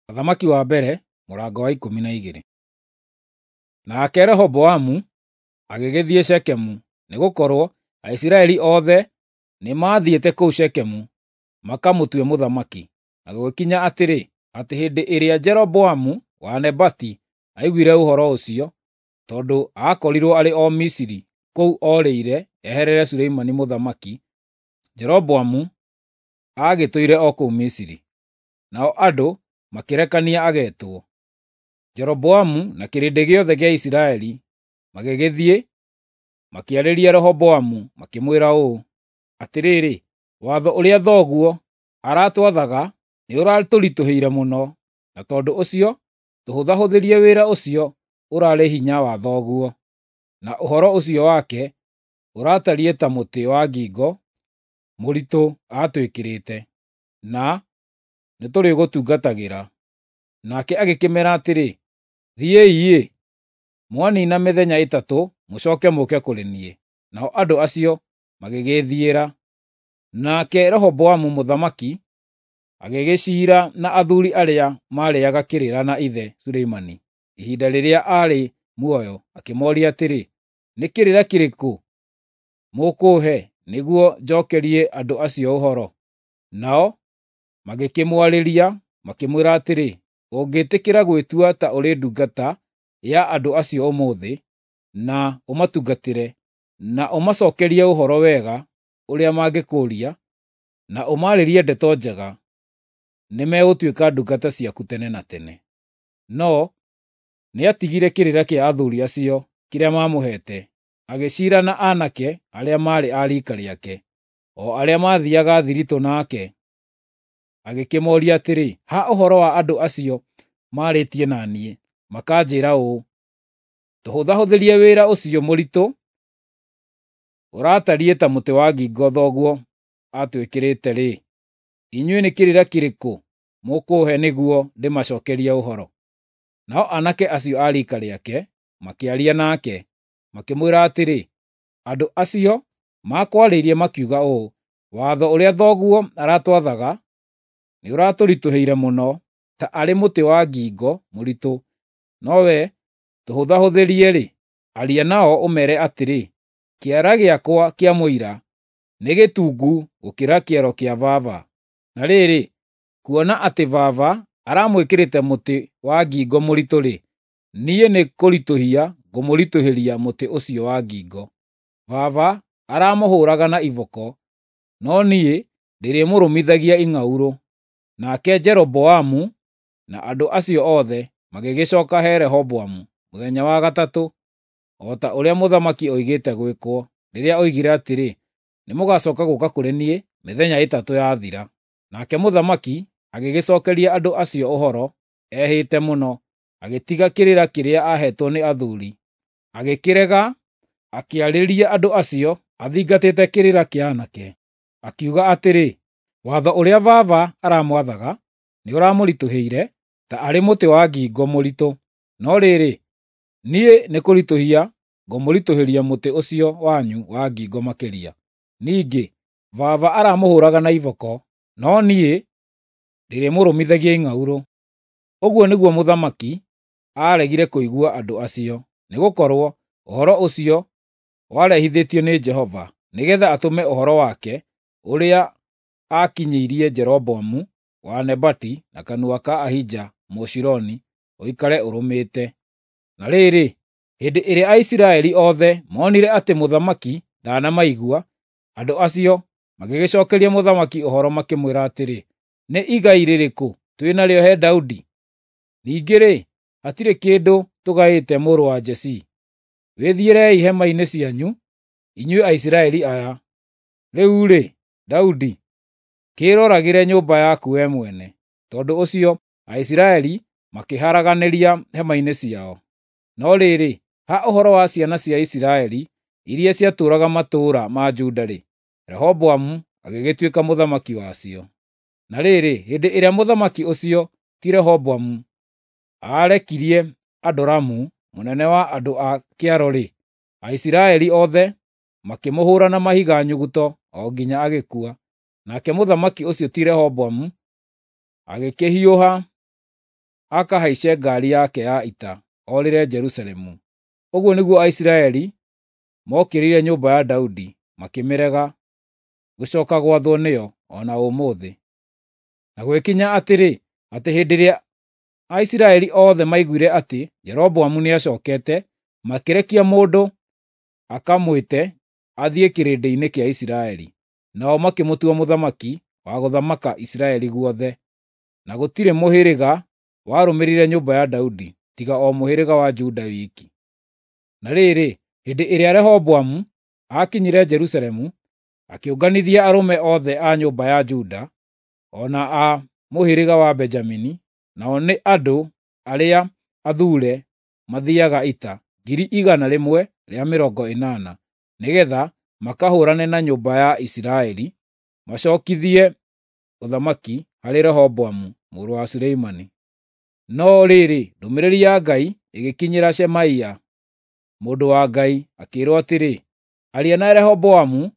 Athamaki wa mbere mũrango wa 12. Nake Rehoboamu agĩgĩthiĩ Shekemu, nĩgũkorwo Aisiraeli othe nĩmathiĩte kũu Shekemu makamũtue mũthamaki. Na gũgĩkinya atĩrĩ, atĩ hĩndĩ ĩrĩa Jeroboamu wa Nebati aiguire ũhoro ũcio, tondũ aakorirwo arĩ o Misiri kũu orĩire eherere Suleimani mũthamaki, Jeroboamu aagĩtũire o kũu Misiri. Nao andũ makĩrekania agetwo. Jeroboamu na kĩrĩndĩ gĩothe gĩa Isiraeli magĩgĩthiĩ makĩarĩria Rehoboamu makĩmwĩra ũũ, “Atĩrĩrĩ, watho ũrĩa thoguo aratwathaga nĩũratũritũhĩire mũno, na tondũ ũcio tũhũthahũthĩrie wĩra ũcio ũrarĩ hinya wa thoguo, na ũhoro ũcio wake ũratariĩ ta mũtĩ wa ngingo mũritũ atwĩkĩrĩte, na nĩtũrĩgũtungatagĩra.” Nake agĩkĩmeera atĩrĩ, “Thiĩi-ĩ, mwanina mĩthenya 3 mũcooke mũũke kũrĩ niĩ.” Nao andũ acio magĩgĩĩthiĩra. Nake Rehoboamu mũthamaki agĩgĩciira na athuuri arĩa maarĩĩaga kĩrĩra na ithe Suleimani ihinda rĩrĩa aarĩ muoyo, akĩmooria atĩrĩ, “Nĩ kĩrĩra kĩrĩkũ mũkũũhe nĩguo njookerie andũ acio ũhoro?” Nao magĩkĩmwarĩria makĩmwĩra atĩrĩ, “Ũngĩtĩkĩra gwĩtua ta ũrĩ ndungata ya andũ acio ũmũthĩ, na ũmatungatĩre, na ũmacookerie ũhoro wega ũrĩa mangĩkũũria, na ũmaarĩrie ndeto njega, nĩmegũtuĩka ndungata ciaku tene na tene.” No nĩatigire kĩrĩra kĩa athuuri acio kĩrĩa maamũheete, agĩciira na aanake arĩa maarĩ a riika rĩake, o arĩa maathiiaga thiritũ nake. Agĩkĩmooria atĩrĩ, “Ha ũhoro wa andũ acio maarĩtie na niĩ, makanjĩĩra ũũ, ‘Tũhũthahũthĩrie wĩra ũcio mũritũ ũratariĩ ta mũtĩ wa ngingo thoguo atwĩkĩrĩte-rĩ, inyuĩ nĩ kĩrĩra kĩrĩkũ mũkũũhe nĩguo ndĩmacookerie ũhoro?” Nao aanake acio a riika rĩake makĩaria nake, makĩmwĩra atĩrĩ, “Andũ acio makwarĩirie makiuga ũũ, ‘Watho ũrĩa thoguo aratwathaga nĩũratũritũhĩire mũno, ta arĩ mũtĩ wa ngingo mũritũ, no wee tũhũthahũthĩrie-rĩ, aria nao ũmeere atĩrĩ, “Kĩara gĩakwa kĩa mũira nĩ gĩtungu gũkĩra kĩero kĩa baba. Na rĩrĩ, kuona atĩ baba aramwĩkĩrĩte mũtĩ wa ngingo mũritũ-rĩ, niĩ nĩkũritũhia ngũmũritũhĩria mũtĩ ũcio wa ngingo. Baba aramũhũũraga na iboko, no niĩ ndĩrĩmũrũmithagia ing'aurũ.” Nake Jeroboamu na andũ acio othe magĩgĩcooka he Rehoboamu mũthenya wa gatatũ, o ta ũrĩa mũthamaki oigĩte gwĩkwo, rĩrĩa oigire atĩrĩ, “Nĩmũgacooka gũũka kũrĩ niĩ mĩthenya 3 yathira.” Nake mũthamaki agĩgĩcookeria andũ acio ũhoro ehĩte mũno, agĩtiga kĩrĩra kĩrĩa aaheetwo nĩ athuuri, agĩkĩrega, akĩarĩria andũ acio athingatĩte kĩrĩra kĩa aanake, akiuga atĩrĩ, “Watho ũrĩa baba aramwathaga nĩũramũritũhĩire ta arĩ mũtĩ wa ngingo mũritũ, no rĩrĩ, niĩ nĩkũritũhia ngũmũritũhĩria mũtĩ ũcio wanyu wa ngingo makĩria. Ningĩ baba aramũhũũraga na iboko, no niĩ ndĩrĩmũrũmithagia ing'aurũ.” Ũguo nĩguo mũthamaki aaregire kũigua andũ acio, nĩgũkorwo ũhoro ũcio warehithĩtio nĩ Jehova, nĩgeetha atũme ũhoro wake ũrĩa aakinyĩirie Jeroboamu wa Nebati na kanua ka Ahija Mũshiloni ũikare ũrũmĩte. Na rĩrĩ, hĩndĩ ĩrĩa Aisiraeli othe moonire atĩ mũthamaki ndanamaigua, andũ acio magĩgĩcookeria mũthamaki ũhoro makĩmwĩra atĩrĩ, “Nĩ igai rĩrĩkũ twĩ narĩo he Daudi? Ningĩ-rĩ, hatirĩ kĩndũ tũgaĩte mũrũ wa Jesii. Wĩthiĩrei hema-inĩ cianyu, inyuĩ Aisiraeli aya! Rĩu-rĩ, Daudi, kĩĩroragĩre nyũmba yaku wee mwene.” Tondũ ũcio Aisiraeli makĩharaganĩria hema-inĩ ciao. No rĩrĩ, ha ũhoro wa ciana cia Isiraeli iria ciatũũraga matũũra ma Juda-rĩ, Rehoboamu agĩgĩtuĩka mũthamaki wacio. Na rĩrĩ, hĩndĩ ĩrĩa mũthamaki ũcio ti Rehoboamu aarekirie Adoramu, mũnene wa andũ a kĩaro-rĩ, Aisiraeli othe makĩmũhũũra na mahiga nyuguto o nginya agĩkua. Nake mũthamaki ũcio ti Rehoboamu agĩkĩhiũha akahaice ngaari yake ya ita orĩre Jerusalemu. Ũguo nĩguo Aisiraeli mookĩrĩire nyũmba ya Daudi makĩmĩrega gũcooka gwathwo nĩyo o na ũmũthĩ. Na gwĩkinya atĩrĩ, atĩ hĩndĩ ĩrĩa Aisiraeli othe maiguire atĩ Jeroboamu nĩacookete, makĩrekia mũndũ akamwĩte athiĩ kĩrĩndĩ-inĩ kĩa Isiraeli. Nao makĩmũtua mũthamaki wa gũthamaka Isiraeli guothe. Na gũtirĩ mũhĩrĩga warũmĩrĩire nyũmba ya Daudi, tiga o mũhĩrĩga wa Juda wiki. Na rĩrĩ, hĩndĩ ĩrĩa Rehoboamu aakinyire Jerusalemu, akĩũnganithia arũme othe a nyũmba ya Juda, o na a mũhĩrĩga wa Benjamini, nao nĩ andũ arĩa athuure mathiiaga ita, 180,000, nĩgeetha makahũũrane na nyũmba ya Isiraeli, macookithie ũthamaki harĩ Rehoboamu mũrũ wa Suleimani. No rĩrĩ, ndũmĩrĩri ya Ngai ĩgĩkinyĩra Shemaia mũndũ wa Ngai, akĩĩrwo atĩrĩ, “Aria na Rehoboamu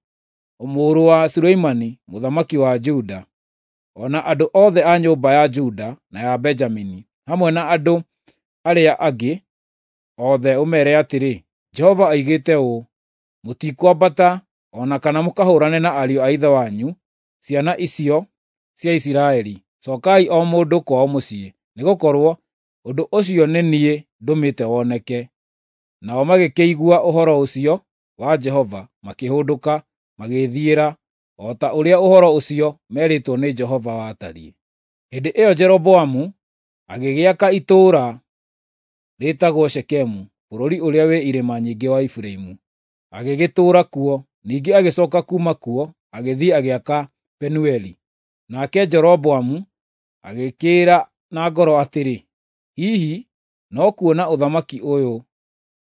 mũrũ wa Suleimani mũthamaki wa Juda, o na andũ othe a nyũmba ya Juda na ya Benjamini, hamwe na andũ arĩa angĩ othe ũmeere atĩrĩ, Jehova oigĩte ũũ: Mũtikwambata o na kana mũkahũũrane na ariũ a ithe wanyu, ciana icio cia Isiraeli. Cookai o mũndũ kwao mũciĩ, nĩgũkorwo ũndũ ũcio nĩ niĩ ndũmĩte woneke.” Nao magĩkĩigua ũhoro ũcio wa Jehova makĩhũndũka magĩĩthiĩra, o ta ũrĩa ũhoro ũcio meerĩtwo nĩ Jehova watariĩ. Hĩndĩ ĩyo Jeroboamu agĩgĩaka itũũra rĩĩtagwo Shekemu bũrũri ũrĩa wĩ irĩma nyingĩ wa Efiraimu, agĩgĩtũũra kuo. Ningĩ agĩcooka kuuma kuo agĩthiĩ agĩaka Penueli. Nake Jeroboamu agĩkĩĩra na ngoro atĩrĩ, “Hihi no kuona ũthamaki ũyũ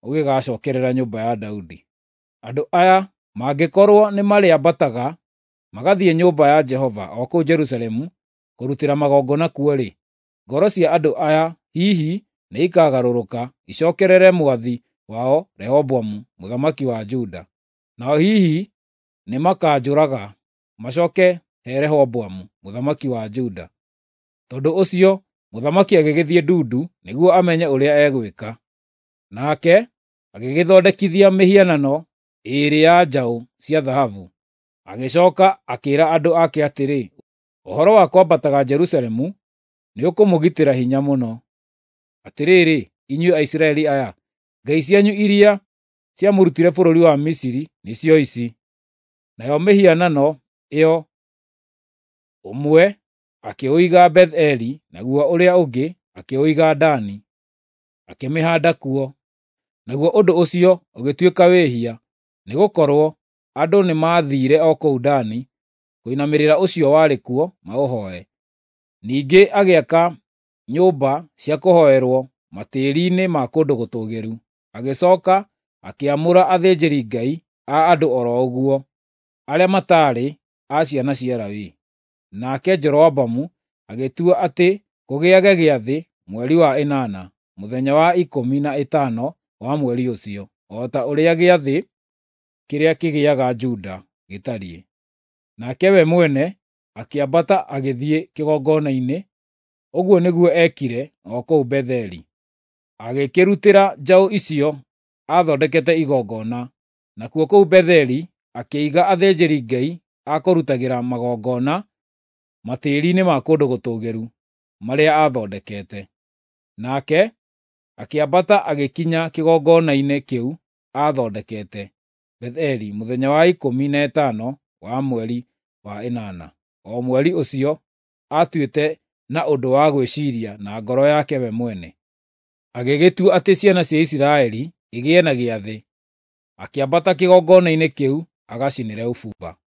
ũgĩgacookerera nyũmba ya Daudi. Andũ aya mangĩkorwo nĩmarĩambataga magathiĩ nyũmba ya Jehova o kũu Jerusalemu kũrutĩra magongona kuo-rĩ, ngoro cia andũ aya hihi nĩikagarũrũka icookerere mwathi wao Rehoboamu mũthamaki wa Juda. Nao hihi nĩmakanjũraga macooke he Rehoboamu mũthamaki wa Juda.” Tondũ ũcio mũthamaki agĩgĩthiĩ ndundu nĩguo amenye ũrĩa egwĩka. Nake agĩgĩthondekithia mĩhianano ĩĩrĩ ya njaũ cia thahabu. Agĩcooka akĩĩra andũ ake atĩrĩ, “Ũhoro wa kwambataga Jerusalemu nĩũkũmũgitĩra hinya mũno. Atĩrĩrĩ, inyuĩ Aisiraeli aya, ngai cianyu iria ciamũrutire bũrũri wa Misiri nĩcio ici.” Nayo mĩhianano ĩyo ũmwe akĩũiga Betheli, naguo ũrĩa ũngĩ akĩũiga Dani, akĩmĩhaanda kuo. Naguo ũndũ ũcio ũgĩtuĩka wĩhia, nĩgũkorwo andũ nĩmathiire o kũu Dani kũinamĩrĩra ũcio warĩ kuo maũhooe. Ningĩ agĩaka nyũmba cia kũhooerwo matĩĩri-inĩ ma kũndũ gũtũũgĩru. Agĩcooka akĩamũra athĩnjĩri-ngai a andũ o ro ũguo, arĩa mataarĩ a ciana cia Lawi. Nake Jeroboamu agĩtua atĩ kũgĩage gĩathĩ mweri wa ĩnana, mũthenya wa 15 wa mweri ũcio, o ta ũrĩa gĩathĩ kĩrĩa kĩgĩaga Juda gĩtariĩ. Nake we mwene akĩambata agĩthiĩ kĩgongona-inĩ, ũguo nĩguo eekire o kũu Betheli. Agĩkĩrutĩra njaũ icio aathondekete igongona, nakuo kũu Betheli akĩiga athĩnjĩri-Ngai a kũrutagĩra magongona matĩĩri-inĩ ma kũndũ gũtũũgĩru marĩa aathondekete. Nake akĩambata agĩkinya kĩgongona-inĩ kĩu aathondekete Betheli mũthenya wa 15 wa mweri wa ĩnana, o mweri ũcio aatuĩte na ũndũ wa gwĩciiria na ngoro yake we mwene. Agĩgĩtua atĩ ciana cia Isiraeli igĩe na gĩathĩ, akĩambata kĩgongona-inĩ kĩu agacinĩre ũbumba.